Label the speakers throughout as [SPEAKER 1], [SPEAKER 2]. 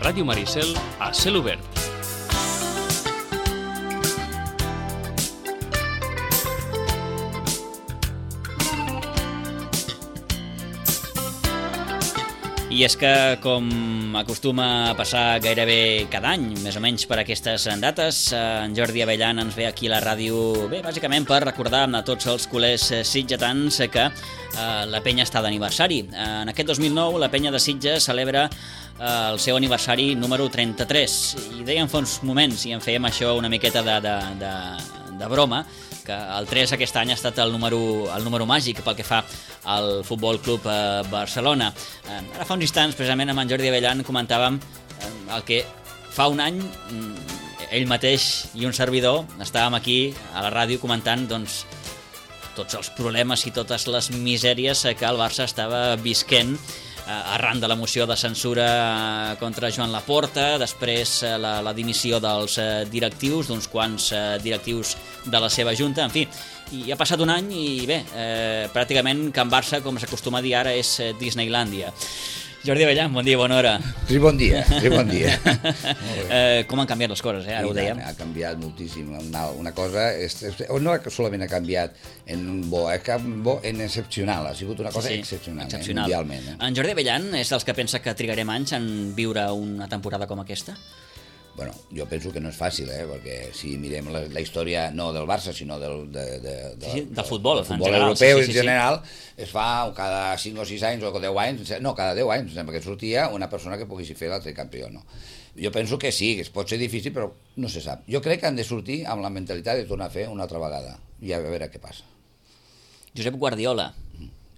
[SPEAKER 1] Ràdio Maricel a cel obert.
[SPEAKER 2] I és que, com acostuma a passar gairebé cada any, més o menys per aquestes dates, en Jordi Abellan ens ve aquí a la ràdio, bàsicament per recordar a tots els culers sitgetans que la penya està d'aniversari. En aquest 2009 la penya de Sitges celebra el seu aniversari número 33. I dèiem fa uns moments, i en fèiem això una miqueta de broma, que el 3 aquest any ha estat el número màgic pel que fa al Futbol Club Barcelona. Ara fa uns instants, precisament amb en Jordi Abellan, comentàvem el que fa un any ell mateix i un servidor estàvem aquí a la ràdio comentant tots els problemes i totes les misèries que el Barça estava visquent arran de la moció de censura contra Joan Laporta, després la dimissió dels directius, d'uns quants directius de la seva junta, en fi. I ha passat un any i bé, pràcticament Can Barça, com s'acostuma a dir ara, és Disneylàndia. Jordi Abellan, bon dia, bona hora.
[SPEAKER 3] Sí, bon dia.
[SPEAKER 2] Com han canviat les coses, ara ho dèiem.
[SPEAKER 3] Ha canviat moltíssim. Una cosa, no solament ha canviat en bo, en excepcional, ha sigut una cosa excepcional. Mundialment.
[SPEAKER 2] En Jordi Abellan és dels que pensa que trigarem anys en viure una temporada com aquesta?
[SPEAKER 3] Bueno, jo penso que no és fàcil, perquè si mirem la història no del Barça, sinó del
[SPEAKER 2] futbol
[SPEAKER 3] europeu en general, es fa cada 5 o 6 anys o 10 anys, no, cada 10 anys, sembla que sortia una persona que pogués fer l'altre campió, no? Jo penso que sí, que pot ser difícil, però no se sap. Jo crec que han de sortir amb la mentalitat de tornar a fer una altra vegada, i a veure què passa.
[SPEAKER 2] Josep Guardiola.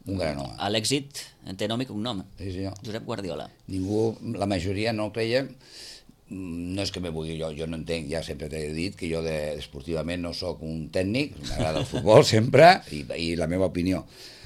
[SPEAKER 3] Un gran home.
[SPEAKER 2] A l'èxit té nom i cognom.
[SPEAKER 3] Sí, senyor.
[SPEAKER 2] Josep Guardiola.
[SPEAKER 3] Ningú, la majoria no creia. No és que me vulgui, jo no entenc, ja sempre t'he dit que jo esportivament no sóc un tècnic, m'agrada el futbol sempre, i la meva opinió.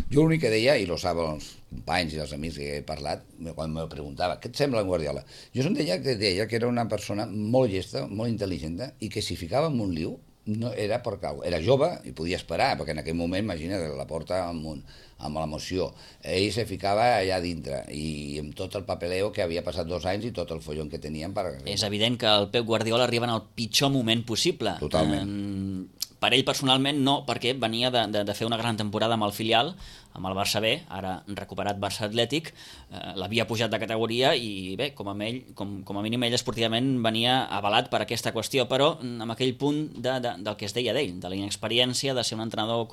[SPEAKER 3] Jo l'únic que deia, i lo saben els companys i els amics que he parlat, quan me preguntava, què et sembla en Guardiola? Jo deia que era una persona molt llesta, molt intel·ligent, i que si ficava en un liu, no era per cau. Era jove i podia esperar, perquè en aquell moment, imagina't, la porta amb l'emoció. Ell se ficava allà dintre, i amb tot el papeleo que havia passat 2 anys i tot el follon que tenien.
[SPEAKER 2] És evident que el Pep Guardiola arriba en el pitjor moment possible.
[SPEAKER 3] Totalment.
[SPEAKER 2] Per ell personalment no, perquè venia de fer una gran temporada amb el filial, amb el Barça B, ara recuperat Barça Atlètic, l'havia pujat de categoria i bé, com a mínim ell esportivament venia avalat per aquesta qüestió, però amb aquell punt del que es deia d'ell, de la inexperiència, de ser un entrenador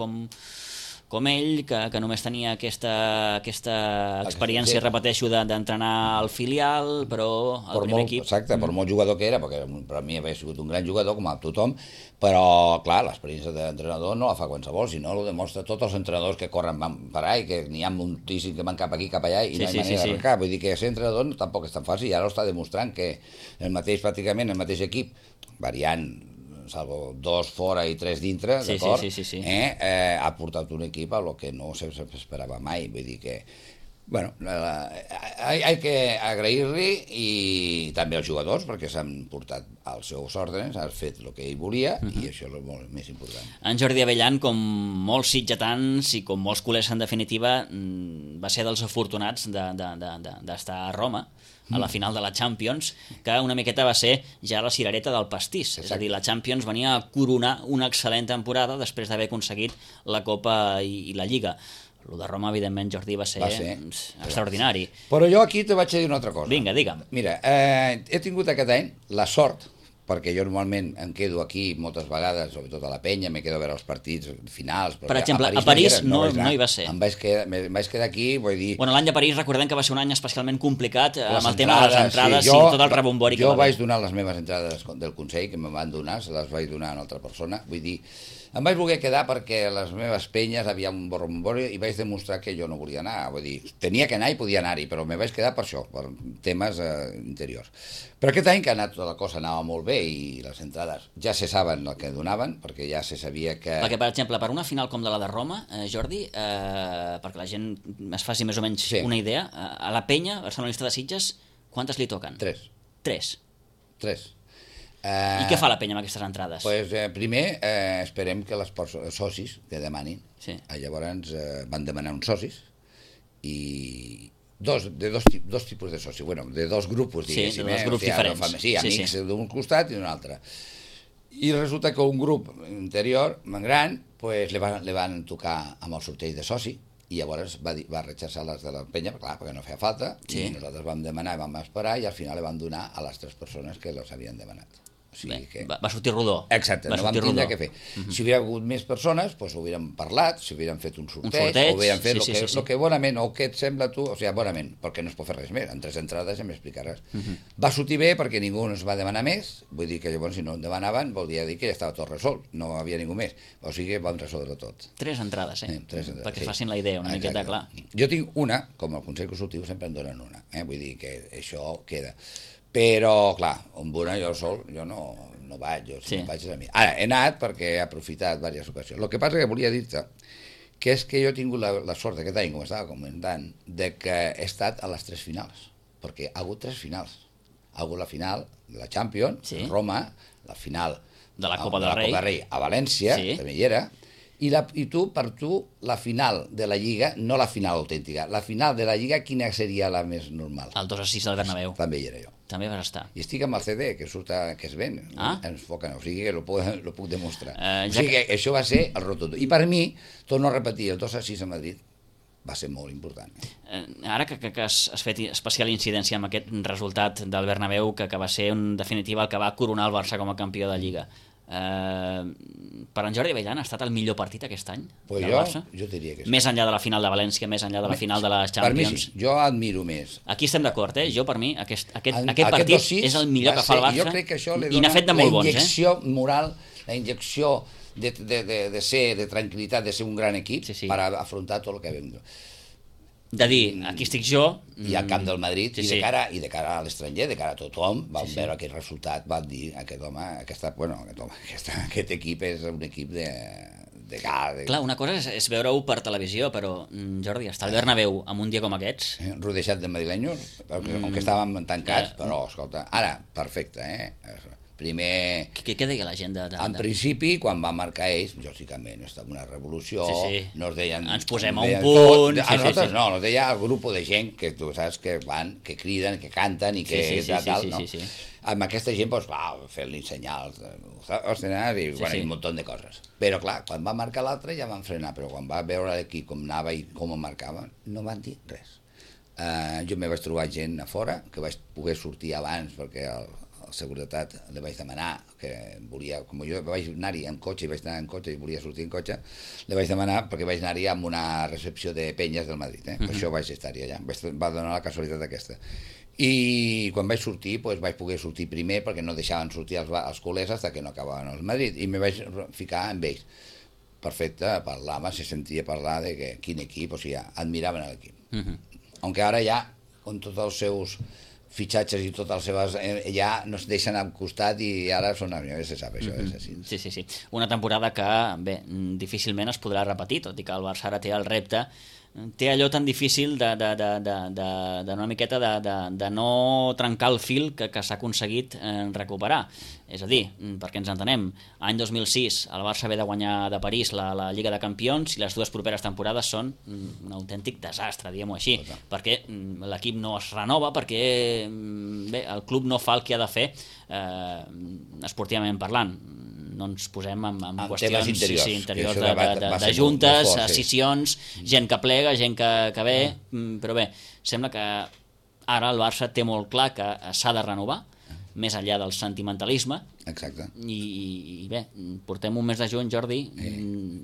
[SPEAKER 2] com ell, que només tenia aquesta experiència, repeteixo, d'entrenar al filial, però al primer equip...
[SPEAKER 3] Exacte, per molt jugador que era, perquè per a mi havia sigut un gran jugador, com a tothom, però, clar, l'experiència d'entrenador no la fa qualsevol, sinó ho demostra tots els entrenadors que corren per allà i que n'hi ha moltíssims que van cap aquí, cap allà, i no hi ha manera d'arrencar. Vull dir que ser entrenador tampoc és tan fàcil, i ara ho està demostrant que pràcticament el mateix equip, variant, salvo 2 fora i 3 dintre, d'acord?
[SPEAKER 2] Sí.
[SPEAKER 3] Ha portat un equip a lo que no s'esperava mai, vull dir que bueno, hay que agrair-li, i també als jugadors, perquè s'han portat als seus ordres, han fet el que ell volia, i això és el molt més important.
[SPEAKER 2] En Jordi Abellan, com molts sitgetans i com molts culers en definitiva, va ser dels afortunats d'estar a Roma, a la final de la Champions, que una miqueta va ser ja la cirereta del pastís. És a dir, la Champions venia a coronar una excel·lent temporada després d'haver aconseguit la Copa i la Lliga. El de Roma, evidentment, Jordi, va ser extraordinari.
[SPEAKER 3] Però jo aquí te vaig dir una altra cosa.
[SPEAKER 2] Vinga, digue'm.
[SPEAKER 3] Mira, he tingut aquest any la sort, perquè jo normalment em quedo aquí moltes vegades, sobretot a la penya, me quedo a veure els partits finals.
[SPEAKER 2] Per exemple, a París no hi va ser.
[SPEAKER 3] Em vaig quedar aquí, vull dir...
[SPEAKER 2] Bueno, l'any de París recordem que va ser un any especialment complicat amb el tema de les entrades i tot el rebombori que va haver.
[SPEAKER 3] Jo vaig donar les meves entrades del Consell, que me van donar, se les vaig donar a una altra persona, vull dir... Em vaig voler quedar perquè a les meves penyes havia un borrombori i vaig demostrar que jo no volia anar. Vull dir, tenia que anar i podia anar-hi, però me vaig quedar per això, per temes interiors. Però aquest any que ha anat tota la cosa anava molt bé i les entrades ja se saben el que donaven, perquè ja se sabia que...
[SPEAKER 2] Perquè, per exemple, per una final com la de Roma, Jordi, perquè la gent es faci més o menys una idea, a la penya, barcelonista de Sitges, quantes li toquen?
[SPEAKER 3] 3.
[SPEAKER 2] 3. I què fa la penya amb aquestes entrades?
[SPEAKER 3] Pues, primer esperem que els socis que demanin, llavors van demanar uns socis, i dos tipus de soci, bueno, de dos grupos, diguéssim.
[SPEAKER 2] Sí, de dos grups diferents.
[SPEAKER 3] Sí, amics d'un costat i d'un altre. I resulta que un grup interior, gran, pues, li van tocar amb el sorteig de soci, i llavors va rechaçar les de la penya, clar, perquè no feia falta, i nosaltres vam demanar, vam esperar, i al final li van donar a les 3 persones que les havien demanat. O sigui que...
[SPEAKER 2] Va sortir rodó.
[SPEAKER 3] Exacte, no vam tindre què fer. Si hubiera hagut més persones, doncs ho hauríem parlat, si hubieran fet un sorteig, o hubieran fet el que bonament, o què et sembla tu, o sigui, bonament, perquè no es pot fer res més, en 3 entrades ja m'explicaràs. Va sortir bé perquè ningú no es va demanar més, vull dir que llavors si no en demanaven, volia dir que ja estava tot resolt, no havia ningú més, o sigui vam resoldre tot.
[SPEAKER 2] 3 entrades,
[SPEAKER 3] 3 entrades,
[SPEAKER 2] perquè facin la idea una miqueta, clar.
[SPEAKER 3] Jo tinc una, com el Consell Consultiu sempre en donen una, vull dir que això queda. Però, clar, amb una jo sol, jo no vaig, jo si no vaig és a mi. Ara, he anat perquè he aprofitat diverses ocasions. El que passa que volia dir-te que és que jo he tingut la sort aquest any, com estava comentant, de que he estat a les 3 finals, perquè ha hagut 3 finals. Ha hagut la final de la Champions, a Roma, la final
[SPEAKER 2] de la Copa del
[SPEAKER 3] Rei a València, també hi era, i per tu, la final de la Lliga, no la final autèntica, la final de la Lliga, quina seria la més normal?
[SPEAKER 2] El 2-6 del Bernabéu.
[SPEAKER 3] També hi era jo.
[SPEAKER 2] També vas estar.
[SPEAKER 3] I estic amb el CD, que es ven, ens foquen, o sigui que lo puc demostrar. O sigui que això va ser el rotundo. I per mi, torno a repetir, el 2-6 a Madrid va ser molt important.
[SPEAKER 2] Ara que has fet especial incidència amb aquest resultat del Bernabéu, que va ser en definitiva el que va coronar el Barça com a campió de Lliga, per en Jordi Avellana ha estat el millor partit aquest any del Barça?
[SPEAKER 3] Jo diria que sí.
[SPEAKER 2] Més enllà de la final de València, més enllà de la final de la Champions.
[SPEAKER 3] Per mi sí, jo admiro més.
[SPEAKER 2] Aquí estem d'acord, jo per mi aquest partit és el millor que fa el Barça,
[SPEAKER 3] jo crec que això li
[SPEAKER 2] i n'ha fet de molt bons.
[SPEAKER 3] La injecció moral, la injecció de tranquil·litat, de ser un gran equip per afrontar tot el que vam.
[SPEAKER 2] De dir, aquí estic jo...
[SPEAKER 3] I al camp del Madrid, i de cara a l'estranger, de cara a tothom, vam veure aquell resultat, vam dir, aquest equip és un equip de gal.
[SPEAKER 2] Clar, una cosa és veure-ho per televisió, però, Jordi, estar al Bernabéu amb un dia com aquests...
[SPEAKER 3] Rodejat de madrilenyos, on estàvem tancats, però, escolta, ara, perfecte, primer...
[SPEAKER 2] Què deia la gent?
[SPEAKER 3] En principi, quan va marcar ells, lògicament, estava una revolució, no es deien...
[SPEAKER 2] Ens posem a un punt...
[SPEAKER 3] A nosaltres no, es deia el grup de gent que tu saps que van, que criden, que canten i que tal, no? Amb aquesta gent, doncs, va, fer-li senyals, i un munt de coses. Però, clar, quan va marcar l'altre ja van frenar, però quan va veure l'equip com anava i com el marcava, no van dir res. Jo me vaig trobar gent a fora, que vaig poder sortir abans perquè el seguretat li vaig demanar que volia, com jo vaig anar-hi en cotxe i volia sortir en cotxe, li vaig demanar perquè vaig anar-hi amb una recepció de penyes del Madrid, per això vaig estar-hi allà, va donar la casualitat aquesta. I quan vaig sortir, vaig poder sortir primer perquè no deixaven sortir els culers fins que no acabaven el Madrid, i me vaig ficar amb ells. Perfecte, parlava, se sentia parlar de que quin equip, o sigui, admiraven l'equip. Aunque ara ja, amb tots els seus fitxatges i totes les seves... ja no es deixen al costat i ara són... se sap, això és així.
[SPEAKER 2] Sí. Una temporada que, bé, difícilment es podrà repetir, tot i que el Barça ara té el repte, té allò tan difícil d'una miqueta de no trencar el fil que s'ha aconseguit recuperar. És a dir, perquè ens entenem, any 2006 el Barça ve de guanyar de París la Lliga de Campions i les 2 properes temporades són un autèntic desastre, diguem-ho així, perquè l'equip no es renova, perquè bé, el club no fa el que ha de fer esportivament parlant. No ens posem en qüestions interiors de juntes, escissions, gent que plega, gent que ve, però bé, sembla que ara el Barça té molt clar que s'ha de renovar, més enllà del sentimentalisme.
[SPEAKER 3] Exacte.
[SPEAKER 2] I bé, portem un mes de juny, Jordi,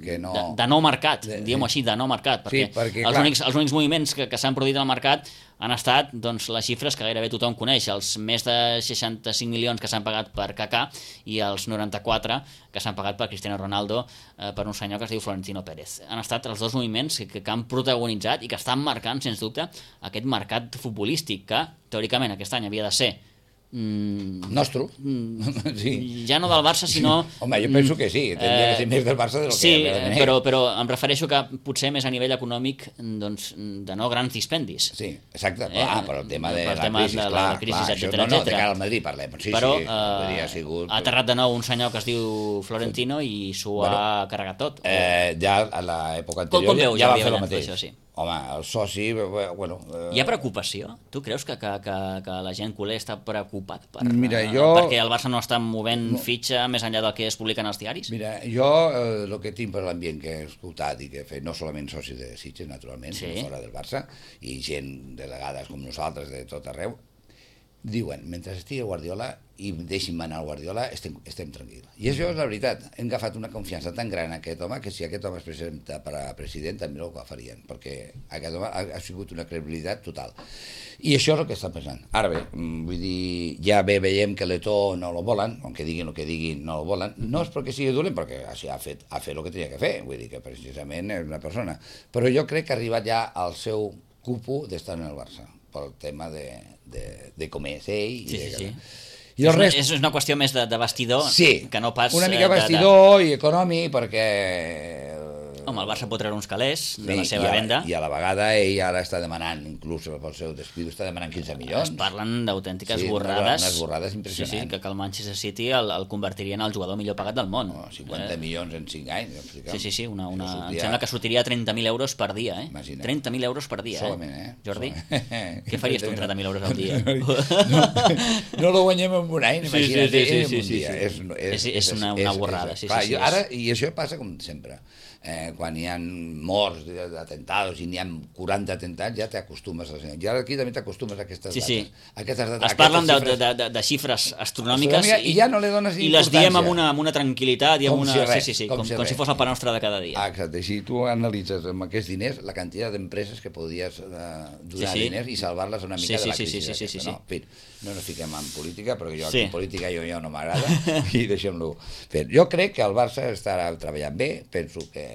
[SPEAKER 3] de
[SPEAKER 2] no mercat, diguem-ho així, de no mercat, perquè els únics moviments que s'han produït al mercat han estat les xifres que gairebé tothom coneix, els més de 65 milions que s'han pagat per Kaká i els 94 que s'han pagat per Cristiano Ronaldo per un senyor que es diu Florentino Pérez. Han estat els 2 moviments que han protagonitzat i que estan marcant, sens dubte, aquest mercat futbolístic que, teòricament, aquest any havia de ser
[SPEAKER 3] nostre,
[SPEAKER 2] ja no del Barça, sinó...
[SPEAKER 3] Home, jo penso que sí, tindria que ser més del Barça del que...
[SPEAKER 2] Sí, però em refereixo que potser més a nivell econòmic de no grans dispendis.
[SPEAKER 3] Sí, exacte, però el tema de la crisi, etcètera. No, de cara al Madrid parlem.
[SPEAKER 2] Però ha aterrat de nou un senyor que es diu Florentino i s'ho ha carregat tot.
[SPEAKER 3] Ja a l'època anterior ja va fer el mateix. Home, el soci... Bueno,
[SPEAKER 2] Hi ha preocupació? Tu creus que la gent culer està preocupat perquè el Barça no està movent fitxa més enllà del que es publica en els diaris?
[SPEAKER 3] Mira, jo el que tinc per l'ambient que he escoltat i que he fet, no solament socis de Sitges, naturalment, sinó fora del Barça, i gent delegades com nosaltres de tot arreu, diuen, mentre estigui Guardiola i deixin manar el Guardiola, estem tranquils. I això és la veritat. Hem agafat una confiança tan gran en aquest home que si aquest home es presenta per a president també ho farien, perquè aquest home ha sigut una credibilitat total. I això és el que està pensant. Ara bé, vull dir, ja veiem que l'Eto'o no lo volen, aunque diguin el que diguin, no lo volen. No és perquè sigui dolent, perquè així ha fet el que tenia que fer, vull dir que precisament és una persona. Però jo crec que ha arribat ja al seu cupo d'estar en el Barça, pel tema de com és ell.
[SPEAKER 2] Sí. I el rest... És una qüestió més de vestidor, que no pas...
[SPEAKER 3] Una mica vestidor i econòmic, perquè...
[SPEAKER 2] Home, el Barça pot treure uns calés de la seva venda.
[SPEAKER 3] I a la vegada ell ara està demanant, inclús pel seu despido, està demanant 15 milions.
[SPEAKER 2] Es parlen d'autèntiques borrades.
[SPEAKER 3] Unes borrades impressionants.
[SPEAKER 2] Sí, que el Manchester City el convertiria en el jugador millor pagat del món.
[SPEAKER 3] 50 milions en 5 anys.
[SPEAKER 2] Sí, em sembla que sortiria 30.000 euros per dia, 30.000 euros per dia,
[SPEAKER 3] solament,
[SPEAKER 2] Jordi? Què faries tu amb 30.000 euros al dia?
[SPEAKER 3] No lo guanyem en un any, imagina't, en un dia.
[SPEAKER 2] És una borrada, sí.
[SPEAKER 3] I això passa com sempre. Quan hi ha morts d'atentados i n'hi ha 40 atentats, ja t'acostumes a... Ja aquí també t'acostumes a aquestes dates.
[SPEAKER 2] Es parlen de xifres astronòmiques
[SPEAKER 3] i ja no li dones
[SPEAKER 2] i les diem amb una tranquil·litat i amb una... Com si fos el pa nostre de cada dia.
[SPEAKER 3] Exacte, si tu analitzes amb aquests diners la quantitat d'empreses que podries donar diners i salvar-les una mica de la crisi. En fi, no ens fiquem en política, perquè jo en política ja no m'agrada i deixem-lo fer. Jo crec que el Barça estarà treballant bé, penso que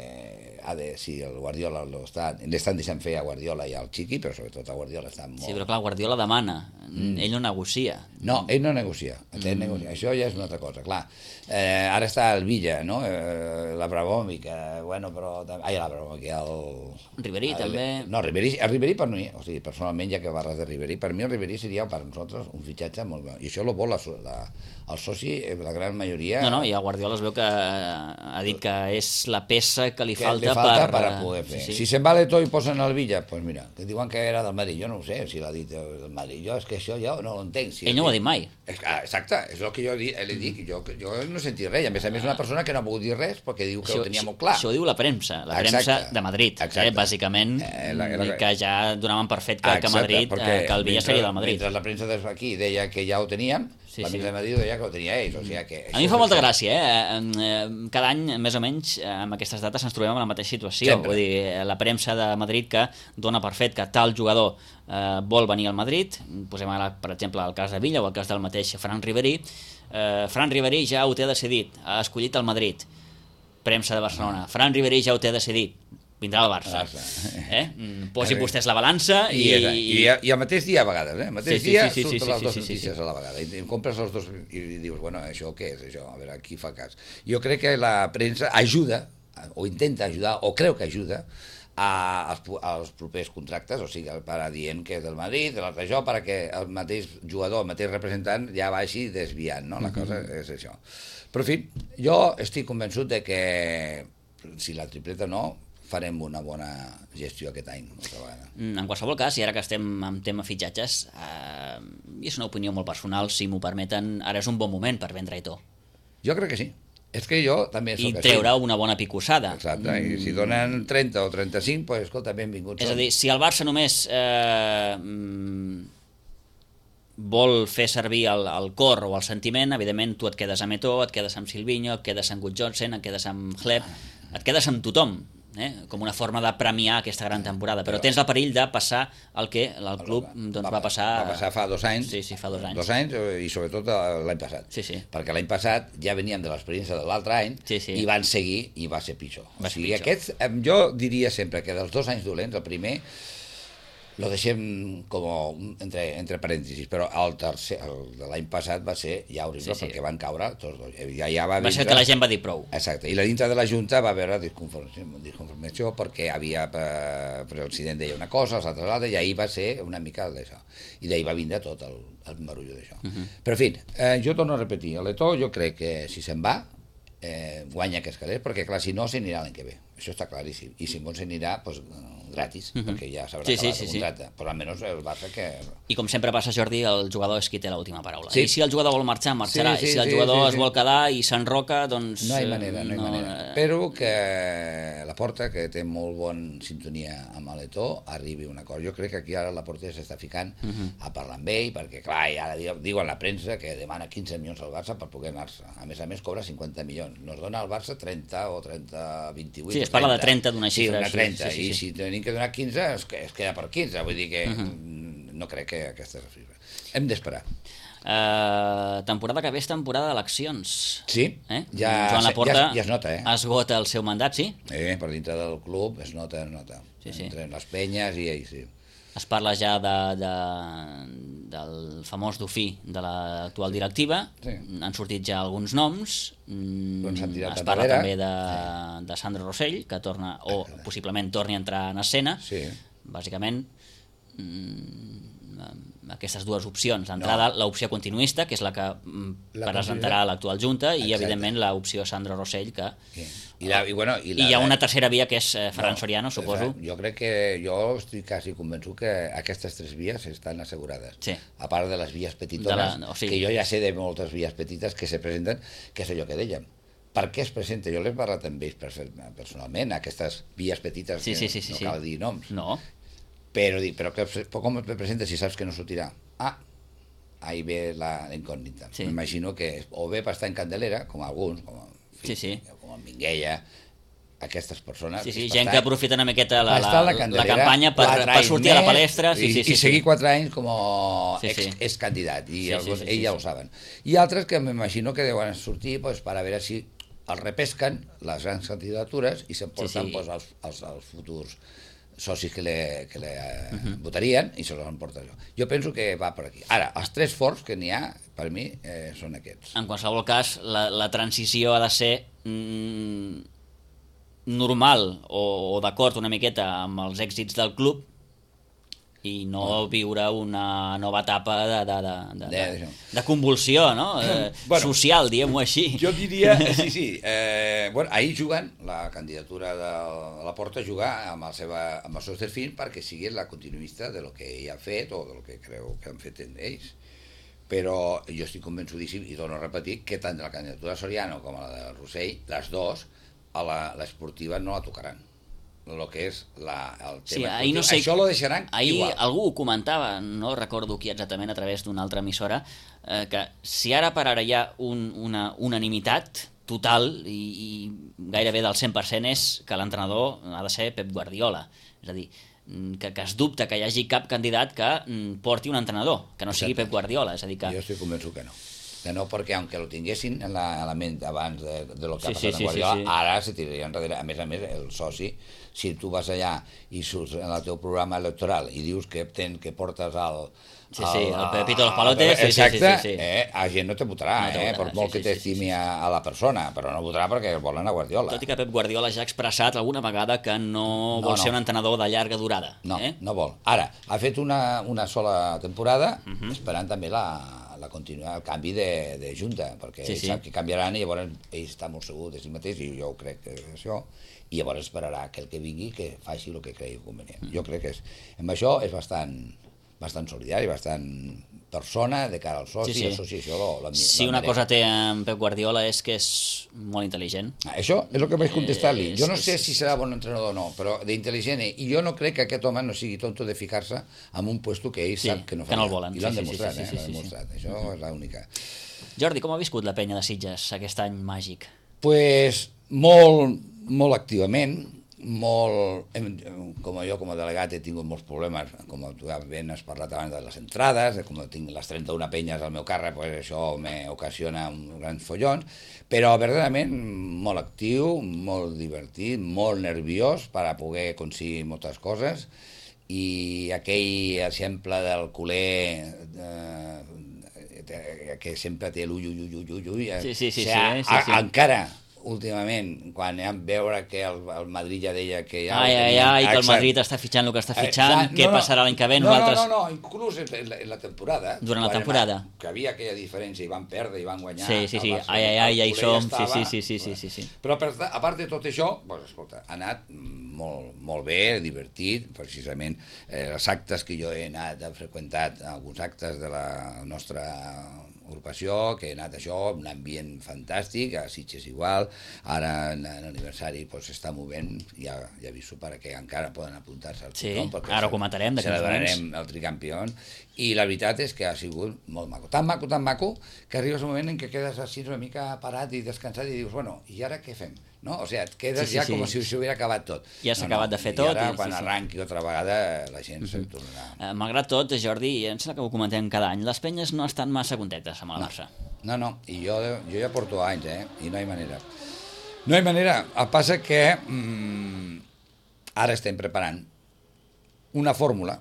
[SPEAKER 3] si el Guardiola l'estan deixant fer a Guardiola i al Chiqui, però sobretot a Guardiola està molt...
[SPEAKER 2] Sí, però clar, Guardiola demana, ell no negocia.
[SPEAKER 3] No, ell no negocia, això ja és una altra cosa, clar. Ara està el Villa, no? l'Abramovic, l'Abramovic,
[SPEAKER 2] Ribéry també...
[SPEAKER 3] No, el Ribéry per mi, o sigui, personalment, ja que parles de Ribéry, per mi el Ribéry seria per nosaltres un fitxatge molt bo, i això lo vol el soci, la gran majoria...
[SPEAKER 2] No, i a Guardiola es veu que ha dit que és la peça que li falta
[SPEAKER 3] per poder fer. Si se'n va l'Eto'o i posen el Villa, doncs mira, que diuen que era del Madrid, jo no ho sé si l'ha dit del Madrid, jo és que això ja no ho entenc.
[SPEAKER 2] Ell no ho ha dit mai.
[SPEAKER 3] Exacte, és el que jo li dic, jo no he sentit res, a més una persona que no ha volgut dir res perquè diu que ho tenia molt clar.
[SPEAKER 2] Això ho diu la premsa de Madrid, bàsicament, que ja donaven per fet que Madrid, que el Villa seria del Madrid.
[SPEAKER 3] Mentre la premsa d'aquí deia que ja ho teníem, la premsa de Madrid deia que ho tenia ells, o sigui que...
[SPEAKER 2] A mi fa molta gràcia, cada any, més o menys, amb aquestes dates ens trobem en la mateixa situació, vull dir, la premsa de Madrid que dona per fet que tal jugador vol venir al Madrid, posem ara, per exemple, el cas de Villa o el cas del mateix Fran Ribéry. Fran Ribéry ja ho té decidit, ha escollit el Madrid. Premsa de Barcelona, Fran Ribéry ja ho té decidit, vindrà al Barça. Posi vostès la balança
[SPEAKER 3] i al mateix dia a vegades, al mateix dia surten les dues notícies a la vegada i compres els dos i dius, bueno, això què és això? A veure, qui fa cas? Jo crec que la premsa ajuda, o intenta ajudar, o creu que ajuda als propers contractes, o sigui, para dient que és del Madrid, de l'altre això, perquè el mateix jugador, el mateix representant ja vagi desviant, no? La cosa és això. Però, en fi, jo estic convençut de que si la tripleta no, farem una bona gestió aquest any.
[SPEAKER 2] En qualsevol cas, i ara que estem en tema fitxatges, i és una opinió molt personal, si m'ho permeten, ara és un bon moment per vendre Eto'o.
[SPEAKER 3] Jo crec que sí. És que jo també soc
[SPEAKER 2] així. I treure una bona picossada.
[SPEAKER 3] Exacte, i si donen 30 o 35, doncs escolta, benvinguts.
[SPEAKER 2] És a dir, si el Barça només vol fer servir el cor o el sentiment, evidentment tu et quedes amb Eto'o, et quedes amb Silvinho, et quedes amb Gudjohnsen, et quedes amb Hleb, et quedes amb tothom. Com una forma de premiar aquesta gran temporada, però tens el perill de passar el que el club va passar...
[SPEAKER 3] Va passar fa 2 anys.
[SPEAKER 2] Sí, fa 2 anys.
[SPEAKER 3] 2 anys i sobretot l'any passat.
[SPEAKER 2] Sí.
[SPEAKER 3] Perquè l'any passat ja veníem de l'experiència de l'altre any i van seguir i va ser pitjor. O sigui, aquests, jo diria sempre que dels 2 anys dolents, el primer lo deixem com entre parèntesis, però el tercer, el de l'any passat va ser ja horrible perquè van caure tots dos.
[SPEAKER 2] Va ser que la gent va dir prou.
[SPEAKER 3] Exacte, i la dintre de la Junta va haver disconformació perquè havia el president deia una cosa, els altres l'altra, i ahir va ser una mica d'això. I d'ahir va vindre tot el marullo d'això. Però, en fi, jo torno a repetir, l'Eto'o jo crec que si se'n va, guanya aquests calés, perquè clar, si no, s'anirà l'any que ve. això està claríssim. I Simón s'anirà gratis, perquè ja s'haurà
[SPEAKER 2] Sí,
[SPEAKER 3] acabat
[SPEAKER 2] sí,
[SPEAKER 3] el
[SPEAKER 2] sí.
[SPEAKER 3] contracte. Però almenys el Barça que...
[SPEAKER 2] I com sempre passa, Jordi, el jugador és qui té l'última paraula.
[SPEAKER 3] Sí.
[SPEAKER 2] I si el jugador vol marxar, marxarà.
[SPEAKER 3] Sí, sí,
[SPEAKER 2] I si el
[SPEAKER 3] sí,
[SPEAKER 2] jugador
[SPEAKER 3] sí.
[SPEAKER 2] es vol quedar i s'enroca, doncs...
[SPEAKER 3] No hi ha manera, no hi ha manera. Espero que la Porta, que té molt bon sintonia amb l'Eto'o, arribi a un acord. Jo crec que aquí ara la Porta s'està ficant a parlar amb ell, perquè clar, i ara diuen la premsa que demana 15 milions al Barça per poder anar-se. A més, cobra 50 milions. Nos dona al Barça 30 o 30, 28...
[SPEAKER 2] Sí, es parla de 30 d'una xifra.
[SPEAKER 3] Sí, una 30,
[SPEAKER 2] sí.
[SPEAKER 3] i si tenim que donar 15, es queda per 15. Vull dir que no crec que aquesta és la xifra. Hem d'esperar.
[SPEAKER 2] Temporada que ve és temporada d'eleccions.
[SPEAKER 3] Sí,
[SPEAKER 2] Joan Laporta
[SPEAKER 3] ja es nota,
[SPEAKER 2] esgota el seu mandat, sí?
[SPEAKER 3] Per dintre del club es nota.
[SPEAKER 2] Sí.
[SPEAKER 3] Entre les penyes i ells, sí.
[SPEAKER 2] Es parla ja del famós dofí de l'actual directiva.
[SPEAKER 3] Sí.
[SPEAKER 2] Han sortit ja alguns noms. Es parla també de Sandro Rossell, que torna, o possiblement torni a entrar en escena.
[SPEAKER 3] Sí.
[SPEAKER 2] Bàsicament, aquestes dues opcions. D'entrada, l'opció continuista, que és la que presentarà l'actual Junta, i evidentment l'opció Sandro Rossell, que... I hi ha una tercera via, que és Ferran Soriano, suposo.
[SPEAKER 3] Jo crec que jo estic quasi convençut que aquestes 3 vies estan assegurades.
[SPEAKER 2] Sí.
[SPEAKER 3] A part de les vies petitones, que jo ja sé de moltes vies petites que se presenten, que és allò que dèiem. Per què es presenta? Jo l'he parlat amb ells personalment, aquestes vies petites, que no cal dir noms.
[SPEAKER 2] No.
[SPEAKER 3] Però com et presentes si saps que no sortirà? Ahí ve la incògnita.
[SPEAKER 2] Sí.
[SPEAKER 3] M'imagino que o bé per estar en candelera, com alguns, com el Minguella, aquestes persones...
[SPEAKER 2] Sí, gent que aprofita una miqueta la campanya per sortir
[SPEAKER 3] més,
[SPEAKER 2] a la palestra.
[SPEAKER 3] I seguir 4 anys com a excandidat, i ells ja ho saben. I altres que m'imagino que deuen sortir per a veure si els repesquen les grans candidatures i s'emporten els futurs socis que le votarien i se los emporta allò. Jo penso que va per aquí. Ara, els 3 forts que n'hi ha, per mi, són aquests.
[SPEAKER 2] En qualsevol cas, la transició ha de ser normal o d'acord una miqueta amb els èxits del club i no viure una nova etapa de convulsió, no? Social, diguem-ho així.
[SPEAKER 3] Jo diria, sí. Ahir juguen, la candidatura de la Porta juga amb els seus 3 fills perquè sigui la continuista de lo que ell ha fet o del que creu que han fet ells. Però jo estic convençudíssim, i torno a repetir, que tant la candidatura de Soriano com la de Rossell, les dues, a l'esportiva no la tocaran. El que és el tema esportiu. Això lo deixaran igual.
[SPEAKER 2] Ahir algú ho comentava, no recordo qui exactament, a través d'una altra emissora, que si ara per ara hi ha una unanimitat total i gairebé del 100% és que l'entrenador ha de ser Pep Guardiola. És a dir, que es dubta que hi hagi cap candidat que porti un entrenador, que no sigui Pep Guardiola. És a dir que...
[SPEAKER 3] Jo estic convençut que no. Que no, perquè aunque lo tinguessin en la ment abans de lo que ha passat amb Guardiola, ara se tiraria enrere. A més, el soci, si tu vas allà i surts en el teu programa electoral i dius que portes el
[SPEAKER 2] Pepito los Palotes,
[SPEAKER 3] exacte, la gent no te votarà, per molt que t'estimi a la persona, però no votarà perquè volen a Guardiola.
[SPEAKER 2] Tot i que Pep Guardiola ja ha expressat alguna vegada que no vol ser un entrenador de llarga durada.
[SPEAKER 3] No vol. Ara, ha fet una sola temporada, esperant també continuar el canvi de junta, perquè ell sap que canviaran i llavors ell està molt segur de si mateix, i jo ho crec que és això, i llavors esperarà que el que vingui que faci el que cregui convenient. Jo crec que amb això és bastant solidari, bastant persona de cara al soci, i el soci això l'admira.
[SPEAKER 2] Si una cosa té en Pep Guardiola és que és molt intel·ligent.
[SPEAKER 3] Això és el que vaig contestar-li. Jo no sé si serà bon entrenador o no, però d'intel·ligent, i jo no crec que aquest home no sigui tonto de ficar-se en un puesto que ell sap que no fa.
[SPEAKER 2] Que no el volen.
[SPEAKER 3] I l'han demostrat, l'han demostrat. Això és l'única.
[SPEAKER 2] Jordi, com ha viscut la penya de Sitges aquest any màgic?
[SPEAKER 3] Pues molt activament, com jo com a delegat he tingut molts problemes, com tu ben has parlat abans de les entrades, com tinc les 31 penyes al meu càrrec, pues això m'ocasiona uns grans follons, però verdaderament molt actiu, molt divertit, molt nerviós per a poder aconseguir moltes coses, i aquell exemple del culer que sempre té l'ull, encara últimament, quan vam veure que el Madrid ja deia que ja...
[SPEAKER 2] Ai, que el Madrid està fitxant el que està fitxant, què passarà l'any que ve?
[SPEAKER 3] No, inclús en la temporada.
[SPEAKER 2] Durant la temporada.
[SPEAKER 3] Que havia aquella diferència, i van perdre i van guanyar.
[SPEAKER 2] Sí, ai, ja hi som, sí.
[SPEAKER 3] Però a part de tot això, doncs, escolta, ha anat molt bé, divertit, precisament els actes que jo he freqüentat, alguns actes de la nostra agrupació, que he anat això, un ambient fantàstic, a Sitges igual, ara en l'aniversari s'està movent, ja aviso perquè encara poden apuntar-se al
[SPEAKER 2] tothom, perquè ara ho comentarem d'aquí uns moments.
[SPEAKER 3] Celebrarem el tricampió, i la veritat és que ha sigut molt maco, tan maco, que arribes un moment en què quedes així una mica parat i descansat i dius, bueno, i ara què fem? No? O sigui, et quedes com si s'hubiera acabat tot.
[SPEAKER 2] Ja s'ha acabat de fer tot.
[SPEAKER 3] I ara, quan arranqui otra vegada, la gent se'n tornarà.
[SPEAKER 2] Malgrat tot, Jordi, em sembla que ho comentem cada any, les penyes no estan massa contentes amb el Barça.
[SPEAKER 3] No, i jo ja porto anys, i no hi manera. No hi manera. El que passa que ara estem preparant una fórmula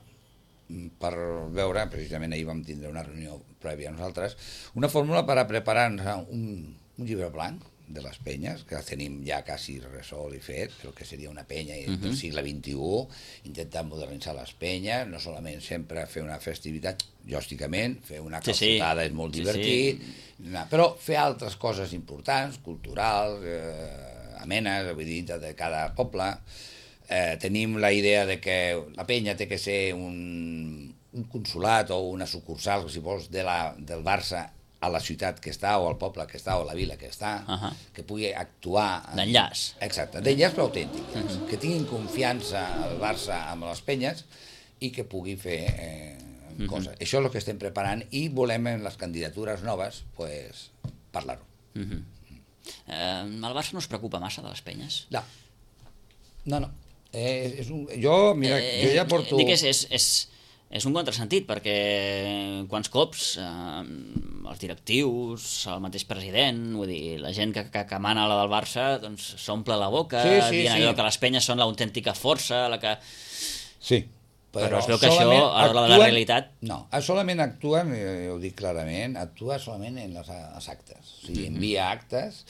[SPEAKER 3] per veure, precisament ahir vam tindre una reunió prèvia a nosaltres, una fórmula per a preparar un llibre blanc de les penyes, que tenim ja quasi resolt i fet, el que seria una penya del segle XXI, intentar modernitzar les penyes, no solament sempre fer una festivitat, lògicament, fer una calçotada és molt divertit, però fer altres coses importants, culturals, amenes, vull dir, de cada poble. Tenim la idea de que la penya té que ser un consolat o una sucursal, si vols, del Barça a la ciutat que està, o al poble que està, o a la vila que està, que pugui actuar...
[SPEAKER 2] D'enllaç.
[SPEAKER 3] Exacte, d'enllaç però autèntic, que tinguin confiança al Barça amb les penyes i que pugui fer coses. Això és el que estem preparant i volem en les candidatures noves parlar-ho.
[SPEAKER 2] El Barça no es preocupa massa de les penyes?
[SPEAKER 3] No. Jo ja porto...
[SPEAKER 2] Dic, és un contrasentit, perquè quants cops els directius, el mateix president, vull dir, la gent que mana la del Barça, doncs s'omple la boca dient allò que les penyes són l'autèntica força, la que...
[SPEAKER 3] Sí.
[SPEAKER 2] Però es veu que això, a l'hora de la realitat...
[SPEAKER 3] No, solament actuen, ho dic clarament, actua solament en els actes. O sigui, envia actes,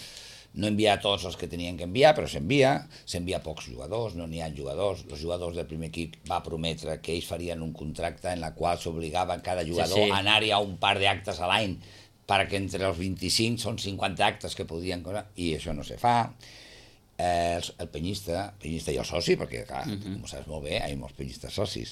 [SPEAKER 3] no envia tots els que tenien que enviar, però s'envia pocs jugadors, no n'hi ha jugadors. Els jugadors del primer equip va prometre que ells farien un contracte en la qual s'obligava cada jugador a anar-hi a un par d'actes a l'any, perquè entre els 25 són 50 actes que podien... I això no se fa. El penyista i el soci, perquè, clar, com saps molt bé, hi ha molts penyistes socis,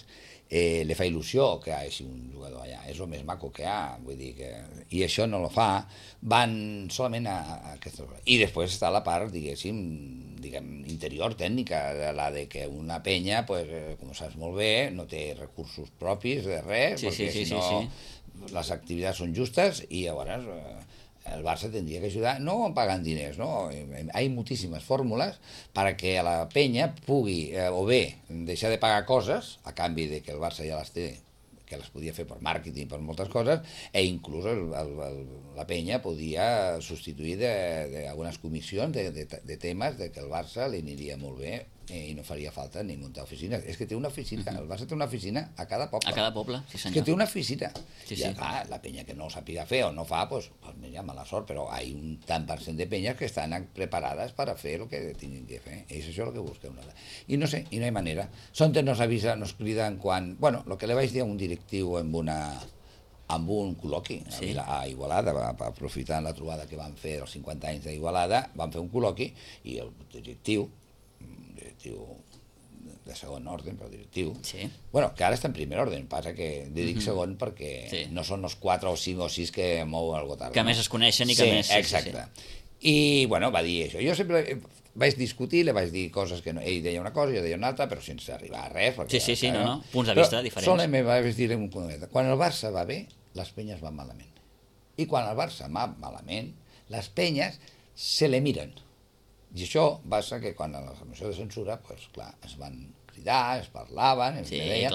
[SPEAKER 3] li fa il·lusió que hi hagi un jugador allà, és el més maco que hi ha, vull dir que... I això no lo fa, van solament a aquesta... I després està la part, diguem, interior, tècnica, la de que una penya, com saps molt bé, no té recursos propis de res, perquè si no les activitats són justes i llavors... El Barça tendria que ajudar, no pagant diners, no? Hay moltíssimes fórmules perquè la penya pugui, o bé, deixar de pagar coses, a canvi de que el Barça ja les té, que les podia fer per màrqueting, per moltes coses, i inclús la penya podia substituir d'algunes comissions de temes de que el Barça li aniria molt bé i no faria falta ni muntar oficines. És que té una oficina, el Barça té una oficina a cada poble.
[SPEAKER 2] A cada poble, sí senyor.
[SPEAKER 3] És que té una oficina.
[SPEAKER 2] I
[SPEAKER 3] la penya que no ho sàpiga fer o no fa, doncs mira, mala sort, però hi ha un tant per cent de penyes que estan preparades per a fer el que tinguin que fer. I és això el que busquem. I no sé, i no hi manera. Sonte nos avisa, nos criden quan... Bueno, el que li vaig dir a un directiu amb un col·loqui a Igualada, aprofitant la trobada que van fer els 50 anys d'Igualada, van fer un col·loqui i el directiu de segon ordre, però directiu, bueno, que ara està en primer ordre, passa que dic segon perquè no són els 4 o 5 o 6 que mou el Gotard.
[SPEAKER 2] Que més es coneixen i que més...
[SPEAKER 3] Exacte. I, bueno, va dir això. Jo sempre vaig discutir, li vaig dir coses que ell deia una cosa, jo deia una altra, però sense arribar a res.
[SPEAKER 2] Sí, no, punts de vista diferents.
[SPEAKER 3] Solament vaig dir un punt. Quan el Barça va bé, les penyes van malament. I quan el Barça va malament, les penyes se le miren. I això passa que quan a la moció de censura, doncs clar, es van cridar, es parlaven, es deien...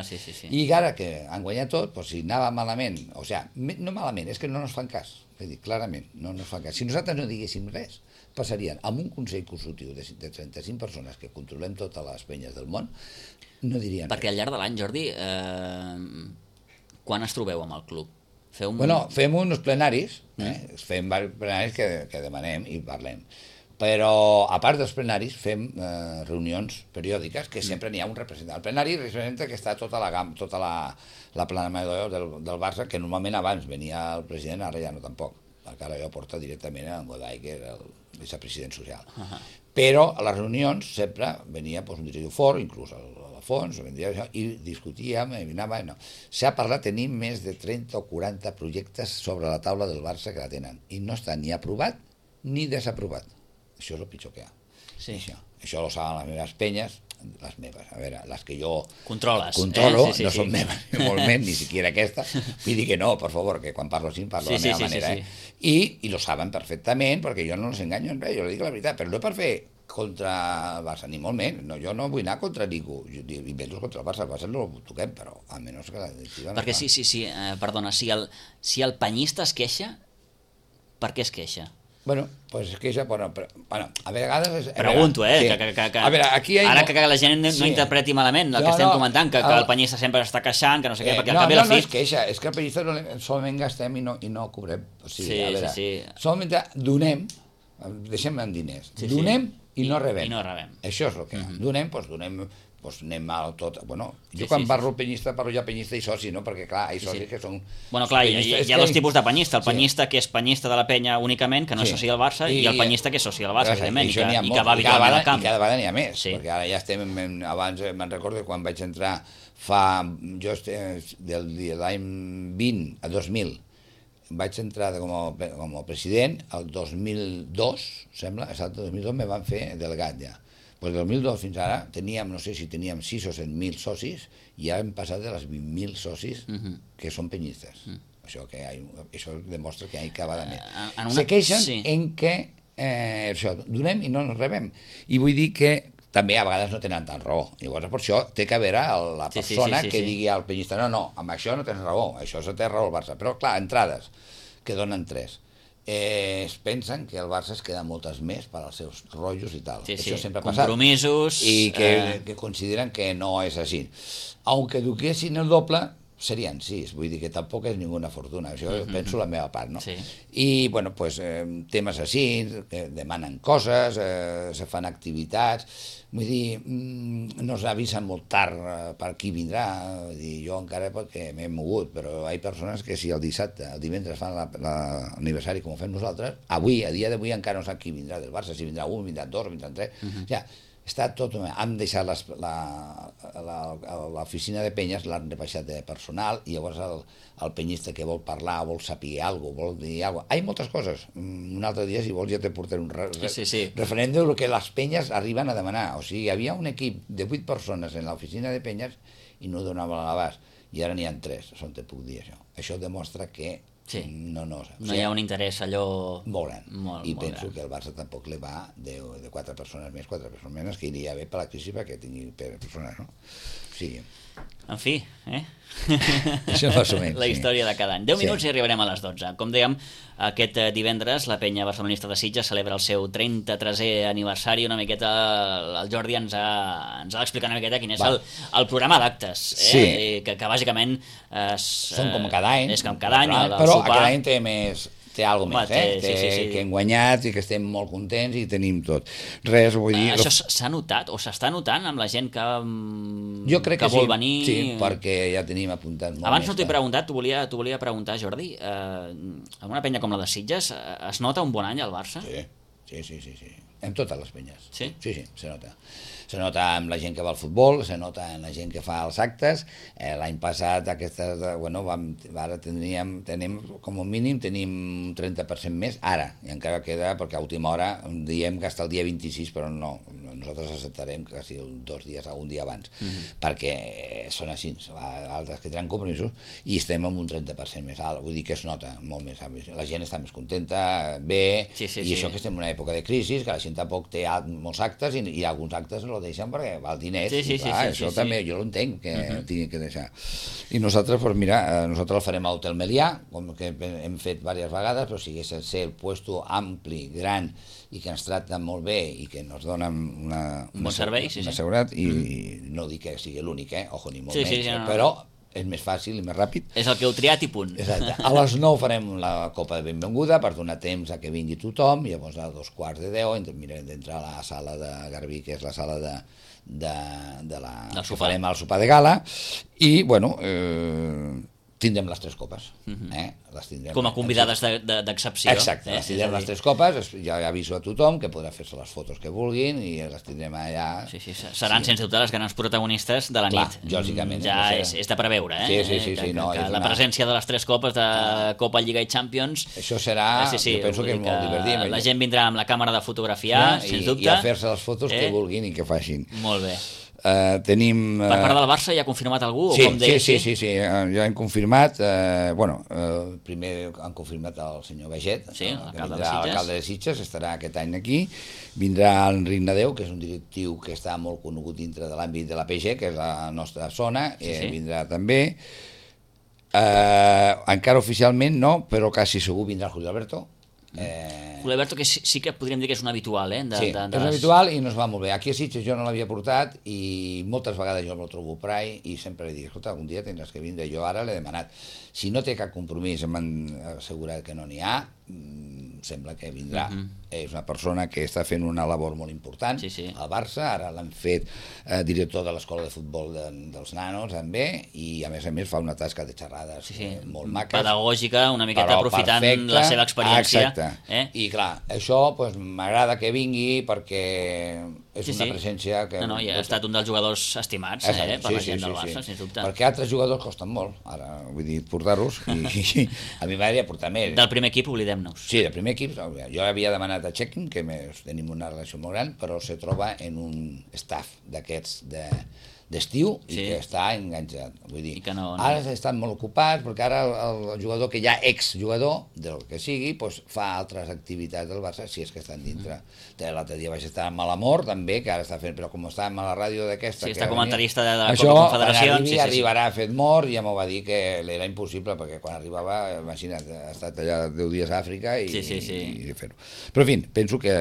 [SPEAKER 2] Sí.
[SPEAKER 3] I ara que han guanyat tot, doncs si anava malament, o sigui, no malament, és que no ens fan cas, és dir, clarament, no ens fan cas. Si nosaltres no diguéssim res, passarien amb un consell consultiu de 35 persones que controlem totes les penyes del món, no dirien res.
[SPEAKER 2] Perquè al llarg de l'any, Jordi, quan es trobeu amb el club?
[SPEAKER 3] Fem uns plenaris, fem diversos plenaris que demanem i parlem. Però, a part dels plenaris, fem reunions periòdiques que sempre n'hi ha un representant. El plenari representa que està tota la plana del Barça, que normalment abans venia el president, ara ja no tampoc, perquè ara ja porta directament en Godai, que era el vicepresident social. Però a les reunions sempre venia un directiu fort, inclús Alfons, i discutíem, s'ha parlat, tenim més de 30 o 40 projectes sobre la taula del Barça que la tenen, i no està ni aprovat ni desaprovat. Això és el pitjor que hi ha.
[SPEAKER 2] Sí.
[SPEAKER 3] Això ho saben les meves penyes, les meves, a veure, les que jo controlo, no són meves, ni molt menys, ni siquiera aquesta. Vull dir que no, per favor, que quan parlo així parlo de la meva manera. I lo saben perfectament, perquè jo no els enganyo en res, jo li dic la veritat, però no per fer contra el Barça, ni molt menys. No, jo no vull anar contra ningú, i menys contra el Barça no ho toquem, però almenys que la directiva...
[SPEAKER 2] Perquè perdona, si el penyista es queixa, per què es queixa?
[SPEAKER 3] Bueno, pues es queixa, bueno, a vegades...
[SPEAKER 2] Pregunto,
[SPEAKER 3] sí.
[SPEAKER 2] A veure, aquí ara que la gent no interpreti malament el que estem comentant, que el penyista sempre està queixant, que no sé què, perquè al cap i a la fi...
[SPEAKER 3] No és queixa, és que el penyista solament gastem i no cobrem. O sigui, a veure, solament donem, deixem en diners, donem i no rebem. Això és el que donem, doncs anem mal tot. Bueno, jo quan parlo penyista, parlo ja penyista i soci, no? Perquè clar, hi ha socis que són...
[SPEAKER 2] Bueno, clar, hi ha dos tipus de penyista. El penyista que és penyista de la penya únicament, que no és soci del Barça, i el penyista que és soci del Barça, evidentment, i que va habitualment al camp.
[SPEAKER 3] I cada vegada n'hi ha més, perquè ara ja estem... Abans me'n recordo quan vaig entrar l'any 20 a 2000, vaig entrar com a president, el 2002, sembla, exacte, el 2002 me van fer delegat ja. Pues del 2002 fins ara teníem, no sé si teníem 6 o 7.000 socis i ja hem passat de les 20.000 socis que són penyistes. Això demostra que hi ha cada vegada més. Se queixen en què donem i no ens rebem. I vull dir que també a vegades no tenen tant raó. Llavors, per això té que haver la persona que digui al penyista no, amb això no tens raó, això té raó el Barça. Però clar, entrades, que donen 3. Es pensen que el Barça es queda moltes més per als seus rotllos i tal. Això sempre ha passat.
[SPEAKER 2] Compromisos...
[SPEAKER 3] I que consideren que no és així. Aunque duquessin el doble, serien 6. Vull dir que tampoc és ninguna fortuna. Això penso la meva part, no? I, bueno, pues, temes així, que demanen coses, se fan activitats... Vull dir, no s'avisen molt tard per qui vindrà. Vull dir, jo encara perquè m'he mogut, però hi ha persones que si el dissabte, el divendres fan l'aniversari com ho fem nosaltres, avui, a dia d'avui encara no sap qui vindrà del Barça, si vindrà un, vindrà dos, vindrà tres. O sigui, està tot... Han deixat l'oficina de penyes, l'han rebaixat de personal, i llavors el penyista que vol parlar, vol saber alguna cosa, vol dir alguna cosa... Hi ha moltes coses. Un altre dia, si vols, ja te portaré un referent del que les penyes arriben a demanar. O sigui, hi havia un equip de 8 persones en l'oficina de penyes i no donava l'abast. I ara n'hi ha 3, on te puc dir això. Això demostra que no
[SPEAKER 2] hi ha un interès allò...
[SPEAKER 3] Molt gran. I penso que el Barça tampoc li va de 4 persones més, 4 persones menys, que iria bé per la crisi perquè tingui persones, no? Sí.
[SPEAKER 2] En fi,
[SPEAKER 3] Això més o menys,
[SPEAKER 2] la història de cada any. 10 minuts i arribarem a les 12. Com dèiem, aquest divendres la penya barcelonista de Sitges celebra el seu 33è aniversari. Una miqueta el Jordi ens ha d'explicar una miqueta quin és el programa d'actes, que bàsicament
[SPEAKER 3] són com cada any,
[SPEAKER 2] és com cada any,
[SPEAKER 3] però aquest any té alguna cosa més, que hem guanyat i que estem molt contents i tenim tot. Res, vull dir...
[SPEAKER 2] Això s'ha notat o s'està notant amb la gent que
[SPEAKER 3] vol
[SPEAKER 2] venir?
[SPEAKER 3] Sí, perquè ja tenim apuntat molt.
[SPEAKER 2] Abans no t'he preguntat, t'ho volia preguntar, Jordi, en una penya com la de Sitges es nota un bon any al Barça?
[SPEAKER 3] Sí. En totes les penyes.
[SPEAKER 2] Sí?
[SPEAKER 3] Sí, se nota. Se nota amb la gent que va al futbol, se nota en la gent que fa els actes. L'any passat, ara tenim com a mínim un 30% més, ara, i encara queda, perquè a última hora diem que hasta el dia 26, però no, nosaltres acceptarem quasi 2 dies, un dia abans, perquè són així, altres que tenen compromisos, i estem amb un 30% més alt, vull dir que es nota molt més, la gent està més contenta, bé, i això que estem en una època de crisi, que la gent tampoc té molts actes, i alguns actes lo deixen perquè val diners, això també jo l'entenc que tingui que deixar. I nosaltres, doncs mira, nosaltres el farem a l'Hotel Melià, com que hem fet diverses vegades, però si hagués de ser el puesto ampli, gran, i que ens tracten molt bé i que ens donen un
[SPEAKER 2] bon servei,
[SPEAKER 3] una seguretat, i no dic que sigui l'únic, ojo, ni molt menys, però és més fàcil i més ràpid.
[SPEAKER 2] És el que heu triat i punt.
[SPEAKER 3] Exacte. A les 9 farem la copa de benvinguda per donar temps a que vingui tothom, llavors a 2:45 mirarem d'entrar a la sala de Garbí, que és la sala que farem el sopar de gala, i, bueno, tindrem les 3 copes. Les tindrem
[SPEAKER 2] Com a convidades d'excepció.
[SPEAKER 3] Exacte, les tindrem les 3 copes, ja aviso a tothom que podrà fer-se les fotos que vulguin i les tindrem allà.
[SPEAKER 2] Sí, seran sense dubte les grans protagonistes de la nit.
[SPEAKER 3] Lògicament.
[SPEAKER 2] Ja és de preveure,
[SPEAKER 3] Sí.
[SPEAKER 2] La presència de les 3 copes de Copa, Lliga i Champions.
[SPEAKER 3] Això serà, jo penso que és molt divertit.
[SPEAKER 2] La gent vindrà amb la càmera de fotografiar, sens dubte.
[SPEAKER 3] I a fer-se les fotos que vulguin i que facin.
[SPEAKER 2] Molt bé.
[SPEAKER 3] Tenim...
[SPEAKER 2] Per part del Barça ja ha confirmat algú?
[SPEAKER 3] Sí, ja hem confirmat. Primer han confirmat el senyor Baget, que vindrà l'alcalde de Sitges, estarà aquest any aquí. Vindrà Enric Nadeu, que és un directiu que està molt conegut dintre de l'àmbit de la PG, que és la nostra zona, vindrà també. Encara oficialment no, però quasi segur vindrà Julio Alberto.
[SPEAKER 2] Julio Alberto, que sí que podríem dir que és un habitual,
[SPEAKER 3] Sí, és un habitual i nos va molt bé. Aquí a Sitges jo no l'havia portat i moltes vegades jo me'l trobo per ahí i sempre li dic, escolta, algun dia tindràs que vindre. Jo ara l'he demanat. Si no té cap compromís, m'han assegurat que no n'hi ha, sembla que vindrà. És una persona que està fent una labor molt important al Barça, ara l'han fet director de l'escola de futbol dels nanos també, i a més fa una tasca de xerrades molt maques.
[SPEAKER 2] Pedagògica, una miqueta aprofitant la seva experiència.
[SPEAKER 3] Exacte. I clar, això m'agrada que vingui perquè és una presència que...
[SPEAKER 2] I ha estat un dels jugadors estimats per la gent del Barça, sens dubte.
[SPEAKER 3] Perquè altres jugadors costen molt, ara, vull dir, portar-los, i a mi m'agradaria portar més.
[SPEAKER 2] Del primer equip, oblidem-nos.
[SPEAKER 3] Sí, del primer equip, jo havia demanat a Checking, que tenim una relació molt gran, però se troba en un staff d'aquests d'estiu i que està enganxat. Vull dir, ara estan molt ocupats perquè ara el jugador que ja exjugador del que sigui fa altres activitats del Barça, si és que estan dintre. L'altre dia vaig estar amb l'Amor també, que ara està fent, però com està amb la ràdio d'aquesta...
[SPEAKER 2] Sí, està comentarista de la Copa Confederacions.
[SPEAKER 3] Això arribarà fet mort i ja m'ho va dir que era impossible perquè quan arribava, imagina't, ha estat allà 10 dies a Àfrica i fer-ho. Però en fi, penso que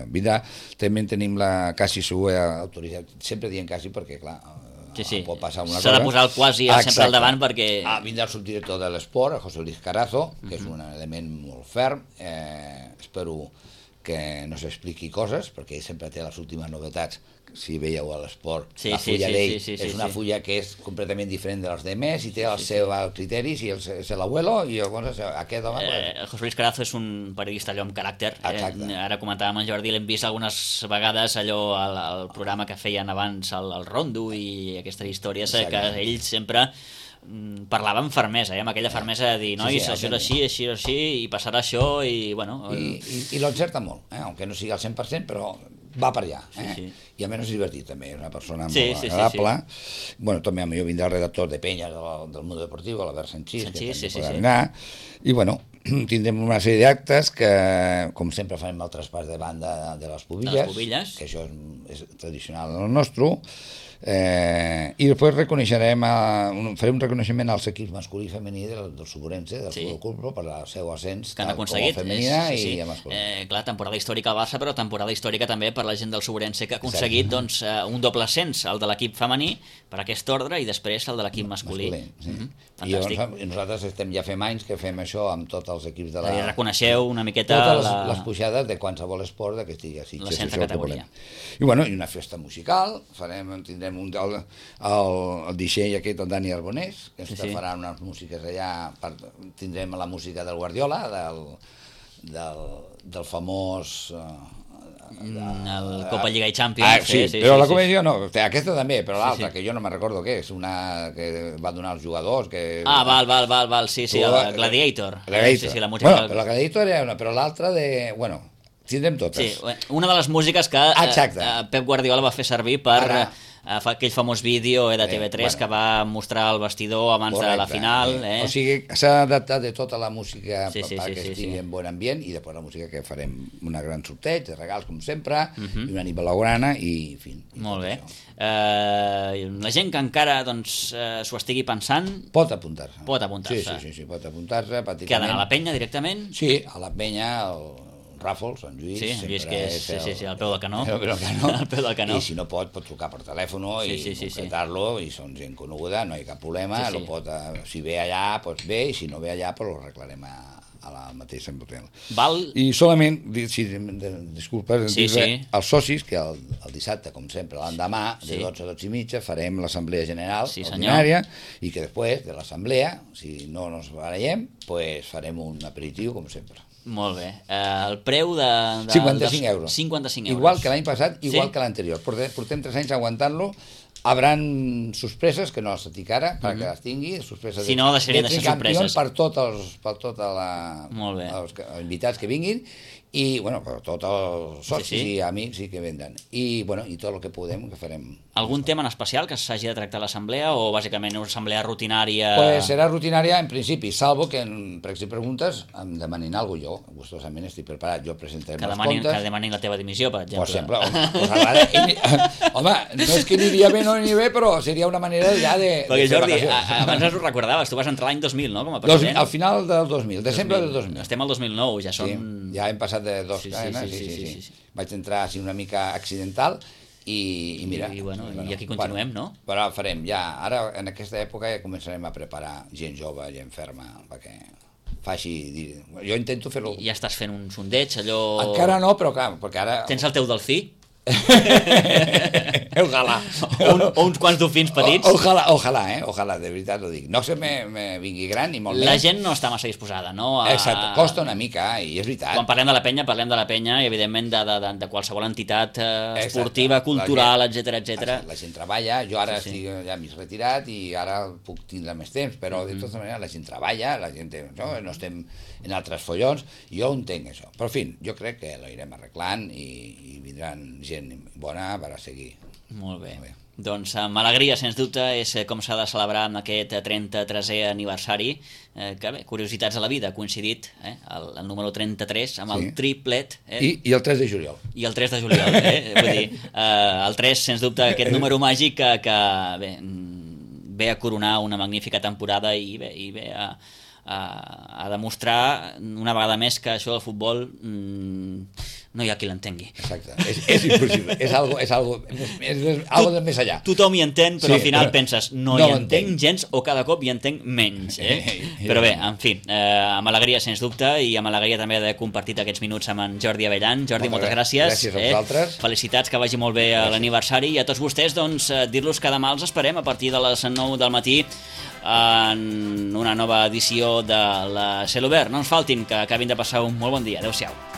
[SPEAKER 3] vindrà, també tenim la quasi segur autoritat, sempre dient quasi perquè clar, pot passar una cosa.
[SPEAKER 2] S'ha de posar el quasi sempre al davant perquè...
[SPEAKER 3] Vindrà el subdirector de l'esport, el José Luis Carazo, que és un element molt ferm. Espero que no s'expliqui coses, perquè ell sempre té les últimes novetats. Si veieu a l'esport, la fulla d'ell és una fulla que és completament diferent de les demés i té els seus criteris i és l'abuelo i llavors aquest home...
[SPEAKER 2] José Luis Carazo és un periodista allò amb caràcter. Ara comentàvem amb en Jordi, l'hem vist algunes vegades allò al programa que feien abans el Rondo i aquestes històries que ell sempre parlava amb fermesa, amb aquella fermesa de dir, nois, això és així i passarà això i bueno...
[SPEAKER 3] I l'encerta molt, aunque no sigui al 100%, però va per allà, i a més és divertit també, és una persona molt agradable. Bueno, també jo vindrà el redactor de Penyes del Mundo Deportivo, l'Albert Sanchís, que també podrà anar, i bueno, tindrem una sèrie d'actes que, com sempre, farem el traspàs de banda de les pubilles, que això és tradicional del nostre, i després farem un reconeixement als equips masculí i femení del Suburense, del Futbol Club, per el seu ascens
[SPEAKER 2] que han aconseguit,
[SPEAKER 3] femenina i masculina.
[SPEAKER 2] Clar, temporada històrica al Barça, però temporada històrica també per la gent del Suburense que ha aconseguit un doble ascens, el de l'equip femení per aquest ordre i després el de l'equip masculí.
[SPEAKER 3] I nosaltres ja fem anys que fem això amb tots els equips de la...
[SPEAKER 2] I reconeixeu una miqueta
[SPEAKER 3] totes les pujades de qualsevol esport que estigui a Sitges.
[SPEAKER 2] La centra categoria.
[SPEAKER 3] I una festa musical, tindrem el DJ aquest, el Dani Arbonés, que ens farà unes músiques allà, tindrem la música del Guardiola, del famós...
[SPEAKER 2] el Copa, Lliga i Champions.
[SPEAKER 3] Però la comèdia no, aquesta també, però l'altra, que jo no me'n recordo què és, una que va donar als jugadors, que...
[SPEAKER 2] Val, el Gladiator.
[SPEAKER 3] Bueno, però la Gladiator era una, però l'altra de... Bueno, tindrem totes.
[SPEAKER 2] Una de les músiques que Pep Guardiola va fer servir per aquell famós vídeo de TV3 que va mostrar el vestidor abans de la final.
[SPEAKER 3] O sigui, s'ha adaptat de tota la música perquè estigui en bon ambient i després la música que farem una gran sorteig de regals com sempre i una nit blaugrana i en fi.
[SPEAKER 2] Molt bé. La gent que encara s'ho estigui pensant
[SPEAKER 3] pot apuntar-se.
[SPEAKER 2] Pot apuntar-se.
[SPEAKER 3] Sí, pot apuntar-se.
[SPEAKER 2] Que ha d'anar a la penya directament?
[SPEAKER 3] Sí, a la penya Ràfols, en Lluís.
[SPEAKER 2] Sí, Lluís, que és al peu del canó.
[SPEAKER 3] Al
[SPEAKER 2] peu del canó.
[SPEAKER 3] I si no pot trucar per telèfon i concretar-lo, i són gent coneguda, no hi ha cap problema, si ve allà, doncs bé, i si no ve allà, doncs ho arreglarem a la mateixa hotel. I solament, disculpa, els socis, que el dissabte, com sempre, l'endemà, de 12 a 12 i mitja, farem l'assemblea general ordinària, i que després de l'assemblea, si no ens barallem, farem un aperitiu, com sempre.
[SPEAKER 2] Molt bé. El preu de...
[SPEAKER 3] 55 euros.
[SPEAKER 2] 55 euros.
[SPEAKER 3] Igual que l'any passat, igual que l'anterior. Portem 3 anys aguantant-lo. Habran sorpreses, que no les dic ara, perquè les tingui, sorpreses
[SPEAKER 2] si no, deixarien de ser sorpreses.
[SPEAKER 3] Per tots els invitats que vinguin, i, bueno, per tots els socis i amics que vindran. I, bueno, i tot el que podem, que farem.
[SPEAKER 2] Algun tema en especial que s'hagi de tractar a l'assemblea, o bàsicament una assemblea rutinària?
[SPEAKER 3] Pues serà rutinària en principi, salvo que per si preguntes em demanin alguna cosa. Jo gustosament estic preparat, jo presentaré els comptes.
[SPEAKER 2] Que demanin la teva dimissió, per exemple.
[SPEAKER 3] Home, no és que aniria bé, no aniria bé, però seria una manera ja de...
[SPEAKER 2] Perquè Jordi, abans ens ho recordaves, tu vas entrar l'any 2000, no?, com a president.
[SPEAKER 3] Al final del 2000, desembre del 2000.
[SPEAKER 2] Estem al 2009, ja són...
[SPEAKER 3] Ja hem passat de 2 anys, sí. Vaig entrar així una mica accidental i mira...
[SPEAKER 2] I aquí continuem, no?
[SPEAKER 3] Però farem ja, ara en aquesta època ja començarem a preparar gent jove, gent ferma, perquè faci... Jo intento fer-ho...
[SPEAKER 2] Ja estàs fent un sondeig, allò...
[SPEAKER 3] Encara no, però clar, perquè ara...
[SPEAKER 2] Tens el teu delfí?
[SPEAKER 3] Ojalà.
[SPEAKER 2] O uns quants dofins petits.
[SPEAKER 3] Ojalà, de veritat ho dic. No se me vingui gran ni molt més.
[SPEAKER 2] La gent no està massa disposada, no?
[SPEAKER 3] Exacte, costa una mica, i és veritat.
[SPEAKER 2] Quan parlem de la penya i evidentment de qualsevol entitat esportiva, cultural, etcètera.
[SPEAKER 3] La gent treballa, jo ara estic ja mig retirat i ara puc tindre més temps, però de tota manera la gent treballa, la gent no estem en altres follons, jo ho entenc això. Però en fi, jo crec que l'anirem arreglant i vindran gent bona per a seguir.
[SPEAKER 2] Molt bé. Doncs amb alegria, sens dubte, és com s'ha de celebrar amb aquest 33è aniversari, que bé, curiositats a la vida, ha coincidit el número 33 amb el triplet.
[SPEAKER 3] I el 3 de juliol.
[SPEAKER 2] I el 3 de juliol, vull dir, el 3, sens dubte, aquest número màgic que ve a coronar una magnífica temporada i ve a demostrar una vegada més que això del futbol no hi ha qui l'entengui.
[SPEAKER 3] Exacte, és impossible, és algo de més allà.
[SPEAKER 2] Tothom hi entén, però al final penses no hi entenc gens o cada cop hi entenc menys. Però bé, en fi, amb alegria sens dubte, i amb alegria també d'haver compartit aquests minuts amb en Jordi Abellan. Jordi, moltes gràcies.
[SPEAKER 3] Gràcies a vosaltres.
[SPEAKER 2] Felicitats, que vagi molt bé a l'aniversari, i a tots vostès doncs dir-los que demà els esperem a partir de les 9 del matí en una nova edició de la Cel Obert. No ens faltin, que acabin de passar un molt bon dia. Adéu-siau.